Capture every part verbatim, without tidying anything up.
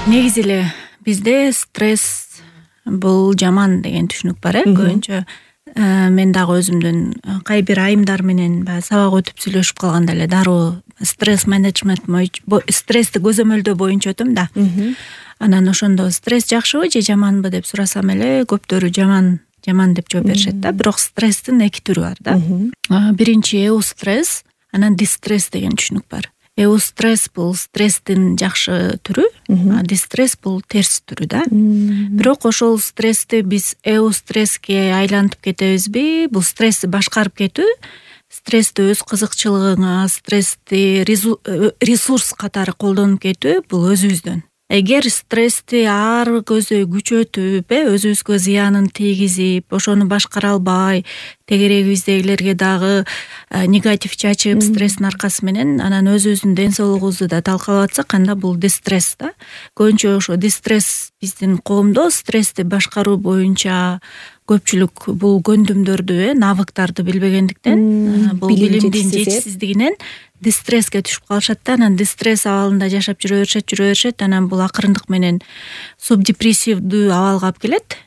Негизи эле бизде стресс бул жаман деген түшүнүк бар э көбүнчө. Мен дагы өзүмдүн кай бир айымдар менен баягы сабак өтүп сүйлөшүп калганда эле дароо стресс менеджмент, стрессти көзөмөлдөө боюнча өтөм да. Анан ошондо стресс жакшыбы же жаманбы деп сурасам эле көптөрү жаман жаман деп жооп беришет да. Бирок стресстин эки түрү бар да. Биринчи эустресс, анан дистресс деген түшүнүк бар. Эустресс бул стресстин жакшы түрү, а дистресс бул терс түрү да. Бирок ошол стрессти биз эустресске айлантып кетебизби? Бул стрессти башкарып кетүү, стрессти өз кызыкчылыгыңа, стрессти ресурс катары колдонуп кетүү бул өзүбүздөн. Эгер стрессти ар көздөй күчөтүп, э өзүбүзгө зыянын тийгизип, ошону башкара албай, тегерегибиздегилерге дагы негатив чачып, стресстин аркасы менен анан өзүбүздүн ден соолугубузду да талкалап атсак, анда бул дистресс да. Көбүнчө ошо дистресс биздин коомдо стрессти башкаруу боюнча көпчүлүк бул көндүмдөрдү, э навыктарды билбегендиктен, бул билимдин жетишсиздигинен дистреске түшүп калышат да. Анан дистресс абалында жашап жүрө беришет, жүрө беришет, анан бул акырындык менен субдепрессивдүү абалга алып келет.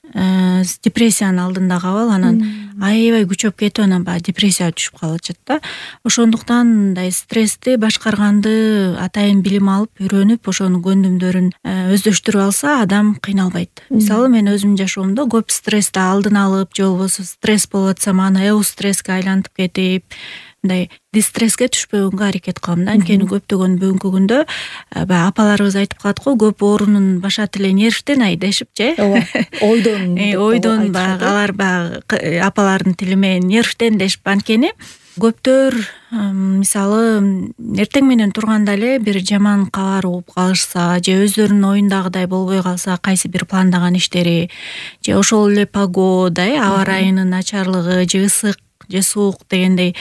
Депрессиянын алдындагы абал анан аябай күчөп кетип, анан баягы депрессияга түшүп калып атышат да. Ошондуктан мындай стрессти башкарганды атайын билим алып, үйрөнүп, ошонун көндүмдөрүн өздөштүрүп алса, адам кыйналбайт. Мисалы, мен өзүмдүн жашоомдо көп стрессти алдын алып, же болбосо стресс болуп атсам, аны эустресске айлантып кетип, мындай дистреске түшпөгөнгө аракет кылам да. Анткени көптөгөн бүгүнкү күндө баягы апаларыбыз айтып калат го, көп оорунун башат эле нервтен ай дешипчи. Ооба. Ойдон. Ойдон баягы алар баягы апалардын тили менен нервтен дешип. Анткени көптөр мисалы эртең менен турганда эле бир жаман кабар угуп калышса, же өздөрүнүн оюндагыдай болбой калса, кайсы бир пландаган иштери, же ошол эле погода, э аба ырайынын начарлыгы, же ысык же суук дегендей,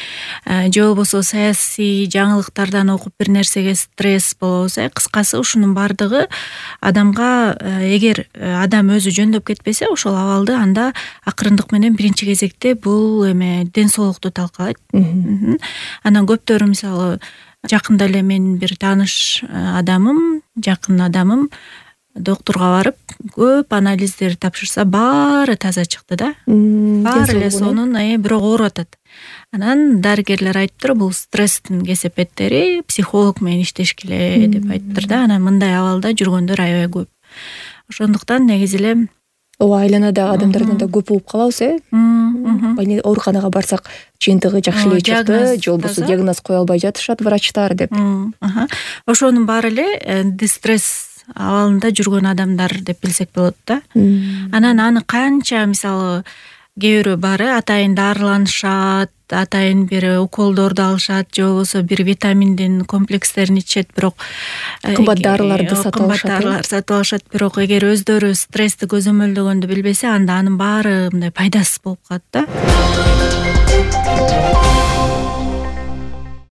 же болбосо саясий жаңылыктардан окуп бир нерсеге стресс болобуз, э кыскасы ушунун баардыгы адамга, эгер адам өзү жөндөп кетпесе ошол абалды, анда акырындык менен биринчи кезекте бул эме ден соолукту талкалайт. Анан көптөрү мисалы жакында эле менин бир тааныш адамым, жакын адамым доктурга барып, көп анализдер тапшырса, баары таза чыкты да. Баары эле сонун, э бирок ооруп атат. Анан дарыгерлер айтыптыр, бул стресстин кесепеттери, психолог менен иштеш келе деп айтыптыр да. Анан мындай абалда жүргөндөр аябай көп. Ошондуктан негизи эле ооба, айланадагы адамдардан да көп угуп калабыз, э ооруканага барсак, жыйынтыгы жакшы эле чыкты, же болбосо диагноз кое албай жатышат врачтар деп. Ошонун баары эле дистресс абалында жүргөн адамдар деп билсек болот да. Анан аны канча мисалы кээ бирөө бар, атайын дарыланышат, атайын бир уколдорду алышат, же болбосо бир витаминдин комплекстерин ичишет, бирок кымбат дарыларды сатып алышат. Кымбат дарылар сатып алышат, бирок эгер өздөрү стрессти көзөмөлдөгөндү билбесе, анда анын баары мындай пайдасыз болуп калат да.